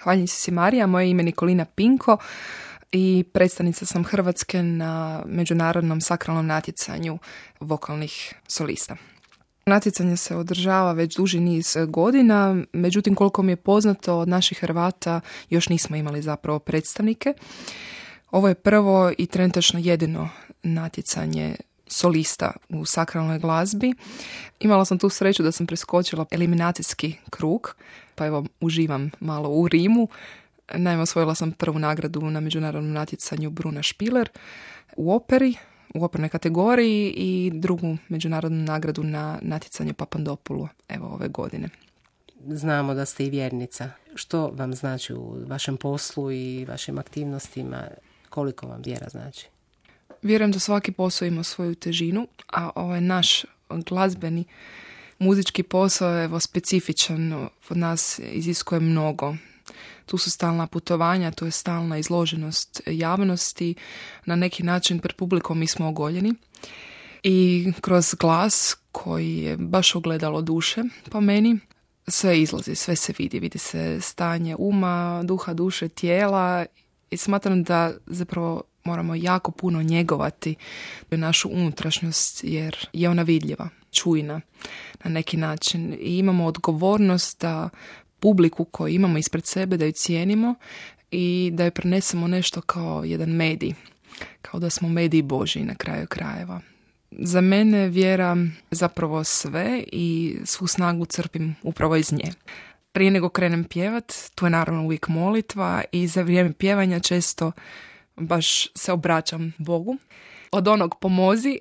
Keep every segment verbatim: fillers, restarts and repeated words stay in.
Hvaljenje si Marija, moje ime je Nikolina Pinko i predstavnica sam Hrvatske na međunarodnom sakralnom natjecanju vokalnih solista. Natjecanje se održava već duži niz godina, međutim koliko mi je poznato od naših Hrvata još nismo imali zapravo predstavnike. Ovo je prvo i trenutačno jedino natjecanje solista u sakralnoj glazbi. Imala sam tu sreću da sam preskočila eliminacijski krug, pa evo uživam malo u Rimu. Naime, osvojila sam prvu nagradu na međunarodnom natjecanju Bruna Špiler u operi, u opernoj kategoriji i drugu međunarodnu nagradu na natjecanju Papandopulu, evo ove godine. Znamo da ste i vjernica. Što vam znači u vašem poslu i vašim aktivnostima? Koliko vam vjera znači? Vjerujem da svaki posao ima svoju težinu, a ovaj naš glazbeni muzički posao je evo specifičan, od nas iziskuje mnogo. Tu su stalna putovanja, tu je stalna izloženost javnosti, na neki način pred publikom mi smo ogoljeni i kroz glas koji je baš ogledalo duše po meni, sve izlazi, sve se vidi, vidi se stanje uma, duha, duše, tijela i smatram da zapravo moramo jako puno njegovati našu unutrašnjost jer je ona vidljiva, čujna na neki način i imamo odgovornost da publiku koju imamo ispred sebe, da ju cijenimo i da ju prenesemo nešto kao jedan medij, kao da smo mediji Božji na kraju krajeva. Za mene vjera zapravo sve i svu snagu crpim upravo iz nje. Prije nego krenem pjevat, tu je naravno uvijek molitva i za vrijeme pjevanja često baš se obraćam Bogu. Od onog pomozi,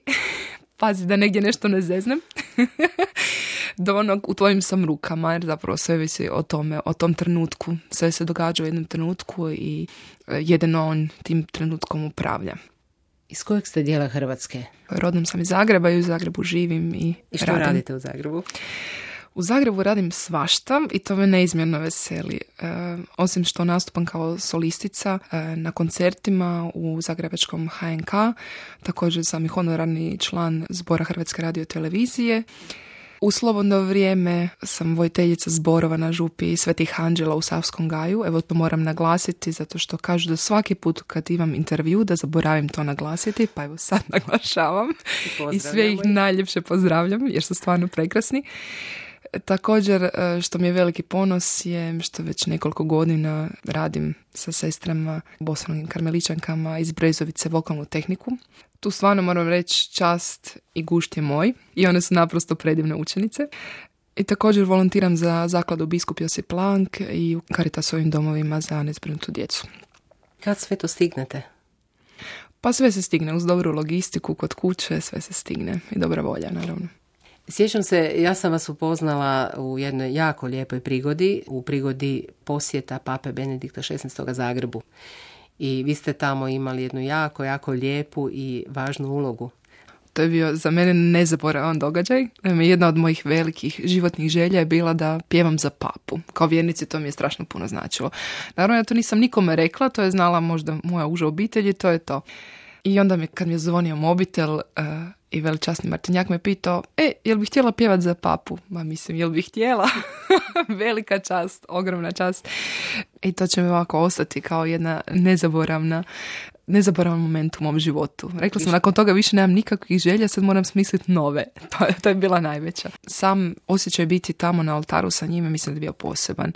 pazi da negdje nešto ne zeznem, do onog u tvojim sam rukama, jer zapravo sve visi o tome, o tom trenutku. Sve se događa u jednom trenutku i jedino on tim trenutkom upravlja. Iz kojeg ste dijela Hrvatske? Rodom sam iz Zagreba i u Zagrebu živim i I što radim. radite u Zagrebu? U Zagrebu radim svašta i to me neizmjerno veseli. E, osim što nastupam kao solistica e, na koncertima u zagrebačkom H N K, također sam i honorarni član Zbora Hrvatske radiotelevizije. U slobodno vrijeme sam vojiteljica zborova na župi Svetih Anđela u Savskom Gaju. Evo to moram naglasiti zato što kažu da svaki put kad imam intervju da zaboravim to naglasiti, pa evo sad naglašavam. I, I sve ih najljepše pozdravljam jer su stvarno prekrasni. Također što mi je veliki ponos je što već nekoliko godina radim sa sestrama bosanskim karmeličankama iz Brezovice vokalnu tehniku. Tu stvarno moram reći čast i gušt je moj i one su naprosto predivne učenice. I također volontiram za zakladu Biskup Josip Plank i u Caritasovim domovima za nezbrinutu djecu. Kad sve to stignete? Pa sve se stigne uz dobru logistiku kod kuće, sve se stigne i dobra volja naravno. Sjećam se, ja sam vas upoznala u jednoj jako lijepoj prigodi, u prigodi posjeta Pape Benedikta šesnaestog Zagrebu. I vi ste tamo imali jednu jako, jako lijepu i važnu ulogu. To je bio za mene nezaboravan događaj. Jedna od mojih velikih životnih želja je bila da pjevam za papu. Kao vjernici to mi je strašno puno značilo. Naravno, ja to nisam nikome rekla, to je znala možda moja uža obitelj i to je to. I onda mi, kad mi je zvonio mobitel uh, i veličasni Martinjak me pitao, e, jel bih htjela pjevat za papu? Ma mislim, jel bih htjela? Velika čast, ogromna čast. I to će mi ovako ostati kao jedna nezaboravna nezaboravan moment u mom životu. Rekla sam, nakon toga više nemam nikakvih želja, sad moram smisliti nove. To je, to je bila najveća. Sam osjećaj biti tamo na oltaru sa njime, mislim da je bio poseban.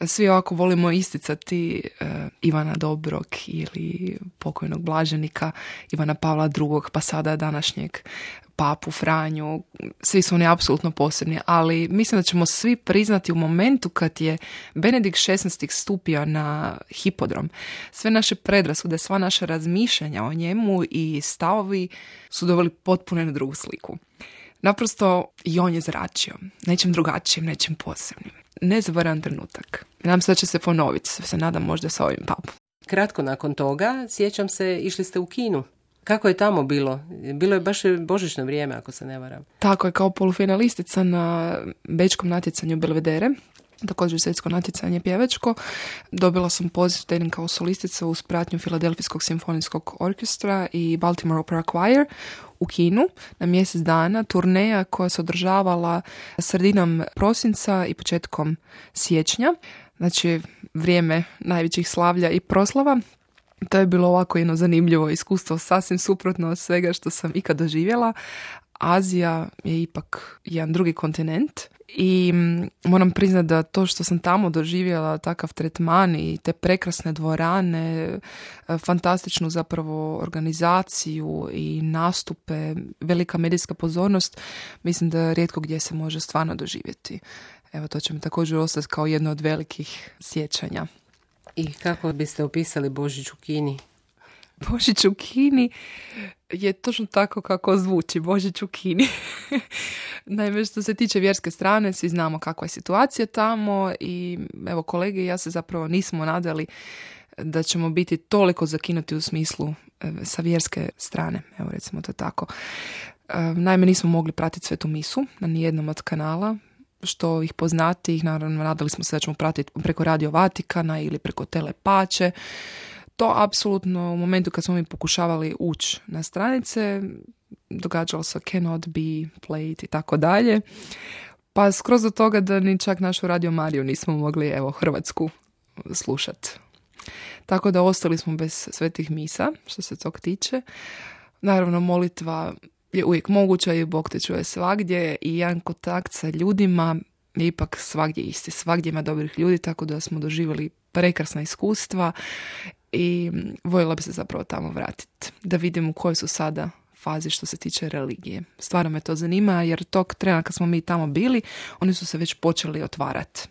Svi ovako volimo isticati uh, Ivana Dobrog ili pokojnog blaženika Ivana Pavla drugog, pa sada današnjeg papu Franju. Svi su oni apsolutno posebni, ali mislim da ćemo svi priznati u momentu kad je Benedikt šesnaesti stupio na hipodrom. Sve naše predrasude, sva naša razmišljanja o njemu i stavovi su doveli potpuno na drugu sliku. Naprosto i on je zračio nečim drugačijim, nečim posebnim. Nezaboravan trenutak. Nadam se da će se ponoviti, se nadam možda sa ovim papom. Kratko nakon toga, sjećam se, išli ste u Kinu. Kako je tamo bilo? Bilo je baš božićno vrijeme, ako se ne varam. Tako je, kao polufinalistica na bečkom natjecanju Belvedere, također svjetsko natjecanje pjevačko. Dobila sam poziv da idem kao solistica uz pratnju Filadelfijskog simfonijskog orkestra i Baltimore Opera Choir u Kinu na mjesec dana, turneja koja se održavala sredinom prosinca i početkom siječnja. znači vrijeme najvećih slavlja i proslava. To je bilo ovako jedno zanimljivo iskustvo, sasvim suprotno od svega što sam ikad doživjela. Azija je ipak jedan drugi kontinent i moram priznati da to što sam tamo doživjela, takav tretman i te prekrasne dvorane, fantastičnu zapravo organizaciju i nastupe, velika medijska pozornost, mislim da rijetko gdje se može stvarno doživjeti. Evo, to će mi također ostati kao jedno od velikih sjećanja. I kako biste opisali Božić u Kini? Božić u Kini je točno tako kako zvuči, Božić u Kini. Naime, što se tiče vjerske strane, svi znamo kakva je situacija tamo i evo, kolege i ja se zapravo nismo nadali da ćemo biti toliko zakinuti u smislu sa vjerske strane, evo recimo to tako. Naime, nismo mogli pratiti svetu misu na nijednom od kanala, što ih poznati, ih naravno nadali smo se da ćemo pratiti preko Radio Vatikana ili preko Telepače. To apsolutno u momentu kad smo mi pokušavali ući na stranice, događalo se cannot be played i tako dalje. Pa skroz do toga da ni čak našu Radio Mariju nismo mogli, evo, Hrvatsku slušati. Tako da ostali smo bez svetih misa, što se tog tiče. Naravno, molitva je uvijek moguća i Bog te čuje svagdje i jedan kontakt sa ljudima je ipak svagdje isti. Svagdje ima dobrih ljudi, tako da smo doživjeli prekrasna iskustva i voljela bi se zapravo tamo vratiti. Da vidim u kojoj su sada fazi što se tiče religije. Stvarno me to zanima jer tog trena kad smo mi tamo bili, oni su se već počeli otvarati.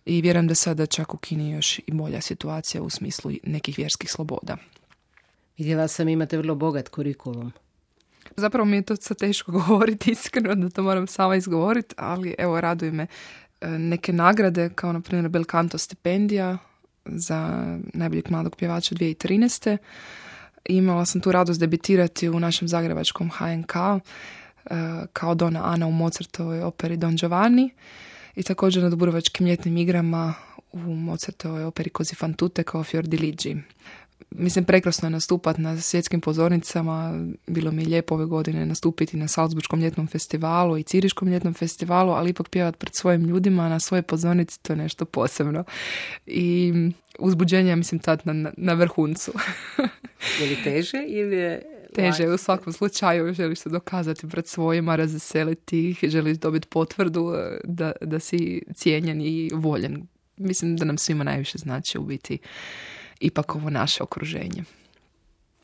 I vjerujem da sada čak u Kini još i bolja situacija u smislu nekih vjerskih sloboda. Vidjela sam, imate vrlo bogat kurikulum. Zapravo mi je to sad teško govoriti, iskreno da to moram sama izgovoriti, ali evo, raduje me neke nagrade, kao na primjer Bel Canto stipendija za najboljeg mladog pjevača dvije tisuće trinaeste. Imala sam tu radost debitirati u našem zagrebačkom H N K kao Dona Ana u Mozartovoj operi Don Giovanni i također na Dubrovačkim ljetnim igrama u Mozartovoj operi Così fan tutte kao Fiordiligi. Mislim, prekrasno je nastupati na svjetskim pozornicama. Bilo mi je lijepo ove godine nastupiti na Salzburškom ljetnom festivalu i Ciriškom ljetnom festivalu, ali ipak pjevati pred svojim ljudima na svojoj pozornici, to je nešto posebno. I uzbuđenje, mislim, tad na, na vrhuncu. Je li teže ili je... Teže, u svakom slučaju želiš se dokazati pred svojima, razveseliti ih, želiš dobiti potvrdu da, da si cijenjen i voljen. Mislim da nam svima najviše znači u biti ipak ovo naše okruženje.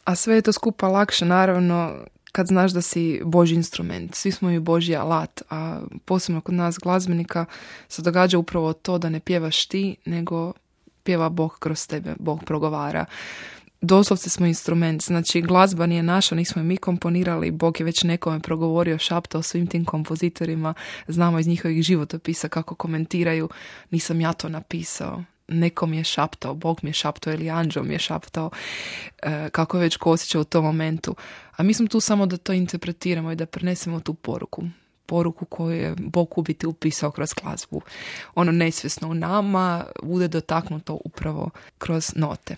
A sve je to skupa lakše, naravno, kad znaš da si Božji instrument. Svi smo i Božji alat, a posebno kod nas glazbenika se događa upravo to da ne pjevaš ti, nego pjeva Bog kroz tebe, Bog progovara. Doslovce smo instrument, znači glazba nije naša, nismo je mi komponirali, Bog je već nekome progovorio, šaptao svim tim kompozitorima, znamo iz njihovih životopisa kako komentiraju, nisam ja to napisao. Neko mi je šaptao, Bog mi je šaptao ili anđeo mi je šaptao, e, kako je već ko osjećao u tom momentu. A mi smo tu samo da to interpretiramo i da prenesemo tu poruku. Poruku koju je Bog u biti upisao kroz glazbu. Ono nesvjesno u nama bude dotaknuto upravo kroz note.